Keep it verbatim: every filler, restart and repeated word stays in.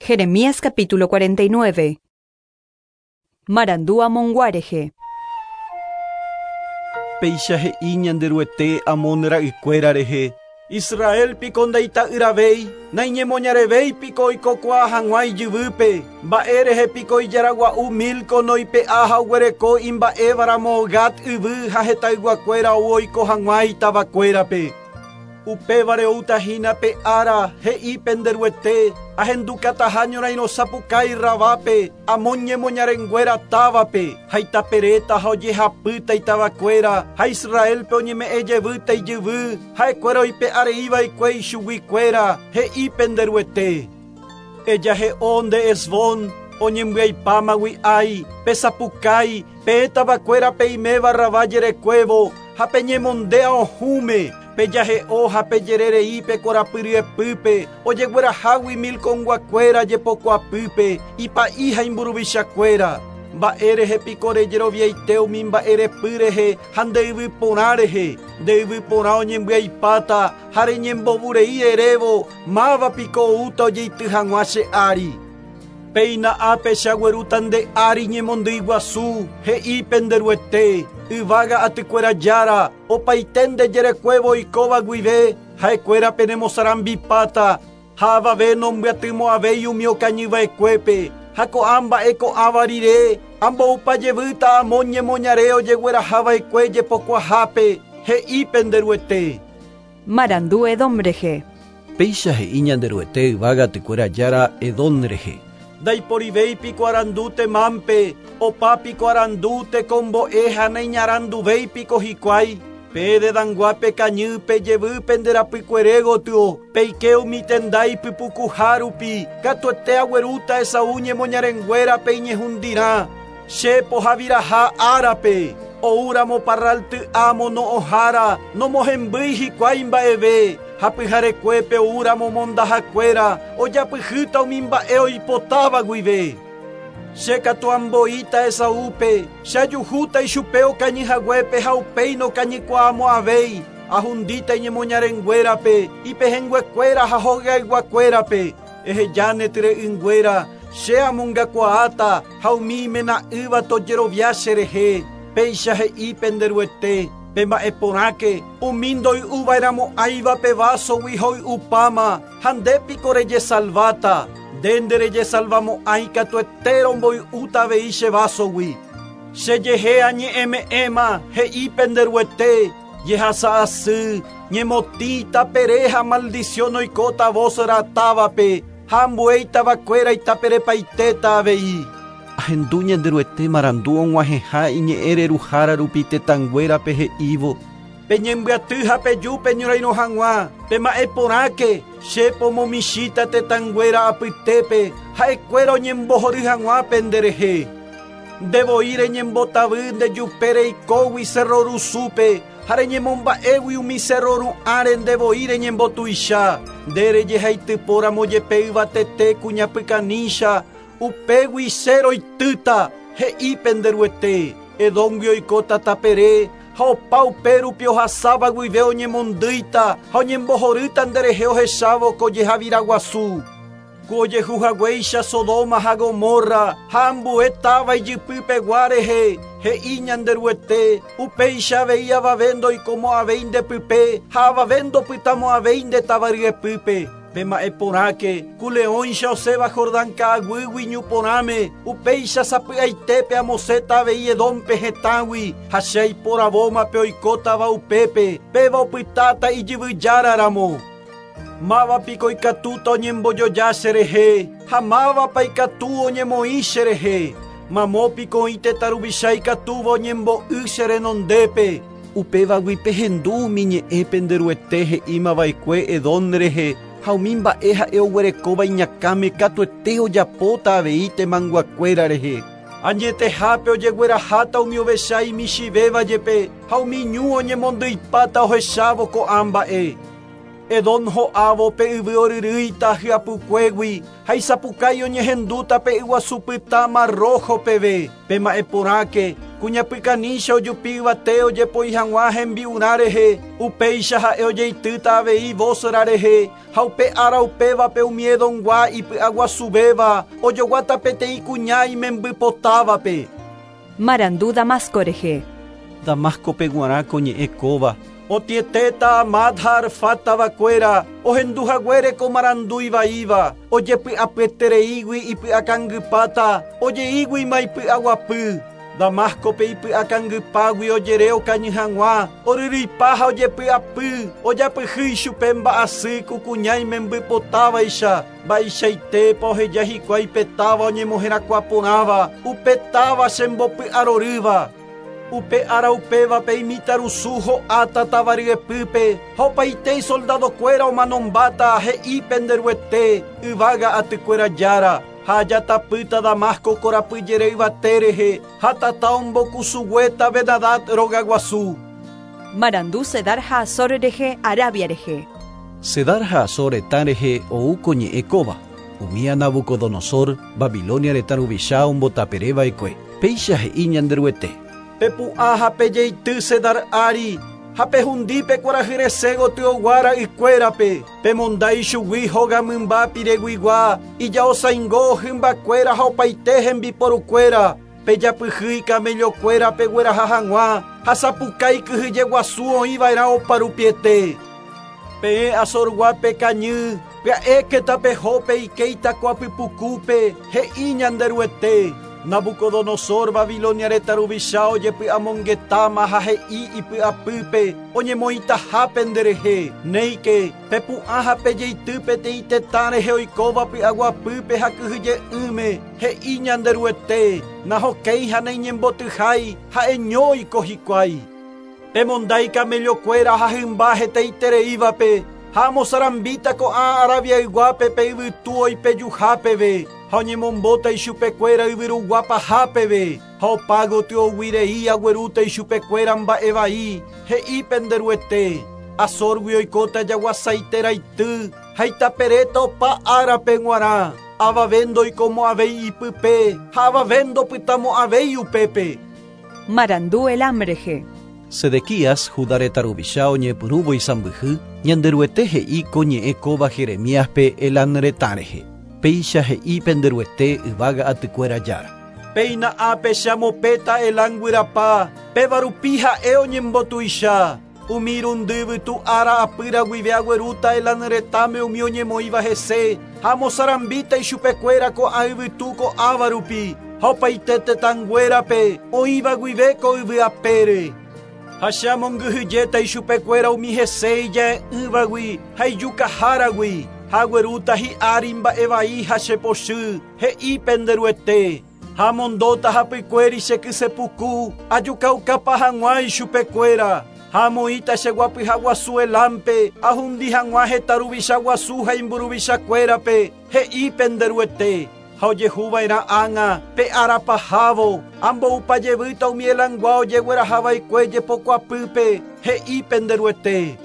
Jeremías capítulo cuarenta y nueve. Marandu Amongua rehe. Péicha he'i Ñanderuete Amón ra'ykuéra rehe. Israel piko ndaita'yravéi, naiñemoñarevéi piko oikokuaa hag̃ua ijyvýpe, mba'e rehe piko ijaragua'u Milco noipe'a ha oguereko imba'évaramo Gad yvy ha hetayguakuéra ou oiko hag̃ua itavakuérape. Upévare outahína pe ára he'i penderuete, ahendukataha ñorairõ sapukái Rabápe, Amón ñemoñarenguéra távape, ha itaperéta ha ojehapýta itavakuéra, ha Israelpe oñeme'ẽ jevýta ijyvy, ha'ekuéra oipe'areiva'ekue ichuguikuéra, he'i penderuete. Ejahe'o nde Hesbón, oñembyaipámagui ái, pesapukái, pe tavakuéra peiméva Rabá jerekuévo, ha peñemondéa ohũme, pejahe'o ha pejererei pe korapyryepýpe, ojeguerahágui milconguakuéra jepokuapýpe, ipa'i ha imburuvichakuéra. Mba'e rehe piko rejeroviaite umi mba'e repy rehe ha nde yvy porã rehe, nde yvy porã oñembyaipáta ha reñembovurei erévo, máva piko oúta ojeity hag̃ua che ári. Péina ápe che aguerúta nde ári ñemondýi guasu, he'i penderuete, yvága atykuéra jára, opaite nde jerekuévo oikóva guive, ha'ekuéra penemosarambipáta, ha avave nombyatymo'ãvéi umi okañyva'ekuépe, ha ko'ã mba'e ko'ãva rire, amboupa jevýta Amón ñemoñare ojeguerahava'ekue jepokuahápe, he'i penderuete. Marandu Edom rehe. Péicha he'i Ñanderuete yvága atykuéra jára Edom rehe. Ndaiporivéi piko arandu Temánpe, opa piko arandu tekombo'e ha naiñaranduvéi piko hikuái, pe Dedanguápe kañy pejevy penderapykuere gotyo, peike umi tenda ipypukuha rupi, katuete aguerúta Esaú ñemoñarenguérape iñehundirã, che pohaviraha árape, oúramo parralty amo no'õhára, nomohembýi hikuái mba'eve, ha pyharekuépe oúramo mondahakuéra, ojapyhýta umi mba'e oipotáva guive. Che katu amboíta Esaúpe, che ajuhúta ichupe okañyhaguépe ha upéi nokañykuaamo'ãvéi, ahundíta iñemoñarenguérape, ipehẽnguekuéra ha hogayguakuérape, ehejáne tyre'ỹnguéra, che amongakuaáta ha umi imena'ỹva tojerovia cherehe, péicha he'i penderuete. Pe mba'e porãke, umi ndoy'uva'erãmo'ãiva pe vásogui hoy'upáma, ha nde piko rejesalváta, nde nderejesalvamo'ãi katuete romboy'úta avei che vásogui. Chejehe añe'ẽme'ẽma, he'i penderuete, jehasa asy, ñemotĩ tapere ha maldición oikóta Bosra távape, ha ambue itavakuéra itaperepaitéta avei. Ahendu Ñanderuete marandu og̃uahẽha iñe'ẽ reruhára rupi tetãnguérape he'ívo. Peñembyaty ha peju peñorairõ hag̃ua, pema'ẽ porãke, che pomomichíta tetãnguéra apytépe, ha'ekuéra oñembohory hag̃ua penderehe. Ndevoi reñembotavy ndejupe reikógui cerro rusúpe, ha reñemomba'égui umi cerro ru'ãre ndevoi reñembotuicha, nde rejehaitypóramo jepe yvatete kuñapykanícha, upégui che roitýta, he'i penderuete, Edóngui oikóta tapere, ha opa upérupi ohasáva guive oñemondýita ha oñembohorýta nderehe ohechávo ko jehavira guasu. Ku ojehuhaguéicha Sodoma ha Gomorra ha ambue táva ijypypegua rehe, he'i Ñanderuete, upéicha avei avave ndoikomo'ãvéi ndepype ha avave ndopytamo'ãvéi nde tavaryepýpe. Pema'ẽ porãke, ku leõicha osẽva Jordán ka'aguýgui ñu porãme, upéicha sapy'aitépe amosẽta avei Edómpe hetãgui, ha che aiporavómape oikótava upépe, péva opytáta ijyvyjáraramo. Máva piko ikatúta oñembojoja cherehe, ha mávapa ikatu oñemoĩ cherehe. Mamo piko oĩ tetã ruvicha ikatúva oñembo'y che renondépe. Upévagui pehendu umi ñe'ẽ penderuete he'ímava'ekue Edom rehe, ha umi mba'e ha'e oguerekóva iñakãme katuete ojapóta avei temanguakuéra rehe. Añetehápe ojegueraháta umi ovecha imichivéva jepe, ha umi ñu oñemondyipáta ohechávo ko'ã mba'e. Edom ho'ávo pe yvy oryrýita hyapukuégui, ha isapukái oñehendúta pe yguasu pytã Mar Rojo peve. Pema'ẽ porãke, Kuñapykanícha ojupi yvate ojepoi hag̃ua hembi'urã rehe, upéicha ha'e ojeitýta avei Bosra rehe, ha upe ára upévape umi Edomgua ipy'aguasuvéva ojoguáta peteĩ kuña imembypotávape. Marandu Damasco rehe. Damascope g̃uarã ko ñe'ẽ kóva. Otietéta Hamat ha Arfat tavakuéra, ohenduhaguére ko marandu ivaíva, ojepy'apyetereígui ipy'akangypáta, ojeíguima ipy'aguapy. Damascope ipy'akangypágui ojere okañy hag̃ua, oryrýipa ha ojepy'apy, ojapyhy ichupe mba'asy ku kuña imembypotávaicha, mba'eichaitépa oheja hikuái pe táva oñemoherakuã porãva, upe táva chembopy'arorýva. Upe ára upévape imitãrusu ho'áta táva ryepýpe, ha opaite isoldadokuéra omanombáta he'i penderuete, yvága atykuéra jára. Ha ajatapýta Damasco korapyjere yvate rehe, ha tata ombokusuguéta Ben-Hadad rogaguasu. Marandu Cedar ha Hazor rehe, Arabia rehe. Cedar ha Hazor retã rehe ou ko ñe'ẽ kóva. Umía Nabucodonosor, Babilonia retã ruvicha ombotapereva'ekue. Péicha he'i Ñanderuete. Pepu'ã ha pejeity Cedar ári, ha pehundípe kuarahy resẽ gotyo ra'ykuérape, pemonda ichugui hóga mymba pireguigua, ijaosaingo hymbakuéra ha opaite hembiporukuéra, pejapyhy ikamellokuéra pegueraha hag̃ua, ha sapukái kyhyjeguasu oĩva'erã oparupiete. Peẽ Hazorgua pekañy, pya'éke tapeho peike itakuapypukúpe, he'i Ñanderuete. Nabucodonosor Babilonia retã ruvicha ojepy'amongetáma ha he'i ipy'apýpe oñemoĩtaha penderehe. Néike pepu'ã ha pejeity peteĩ tetã rehe oikóva py'aguapýpe ha kyhyje'ỹme, he'i Ñanderuete. Nahokéi ha naiñembotyhái ha'eño oiko hikuái. Pemonda ikamellokuéra ha hymba hetaitereívape, ha amosarambíta ko'ã Arabiayguápe pe yvytu oipejuhápeve, ha oñemombóta ichupekuéra yvyruguapahápeve, ha opa gotyo aguerúta ichupekuéra mba'evai, he'i penderuete. Hazorgui oikóta jaguasaiteraity, ha itaperéta opa árape g̃uarã, avave ndoikomo'ãvéi ipype, ha avave ndopytamo'ãvéi upépe. Marandu Elam rehe. Sedequías, Judá retã ruvicha oñepyrũvo isãmbyhy, Ñanderuete he'i ko ñe'ẽ kóva Jeremíaspe Elam retã rehe. Péicha he'i penderuete yvága atykuéra jára. Péina ápe che amopéta Elam guyrapa, péva rupi ha'e oñembotuicha. Umi irundy yvytu ára apýra guive aguerúta Elam retãme umi oñemoĩva hese, ha amosarambíta ichupekuéra ko'ã yvytu ko'ãva rupi, ha opaite tetãnguérape oĩva guive ko yvy apére. Ha che amongyhyjéta ichupekuéra umi hese ija'e'ỹvagui ha ijukaháragui, ha aguerúta hi'ári mba'evai ha chepochy, he'i penderuete. Ha amondóta hapykuéri che kysepuku, ajukaukapa hag̃ua ichupekuéra. Ha amoĩta che guapyhaguasu Elampe, ahundi hag̃ua heta ruvichaguasu ha imburuvichakuérape, he'i penderuete. Ha ojehuva'erã ág̃a pe árapahávo, amboupajevýta umi Elamgua ojeguerahava'ekue jepokuapýpe, he'i penderuete.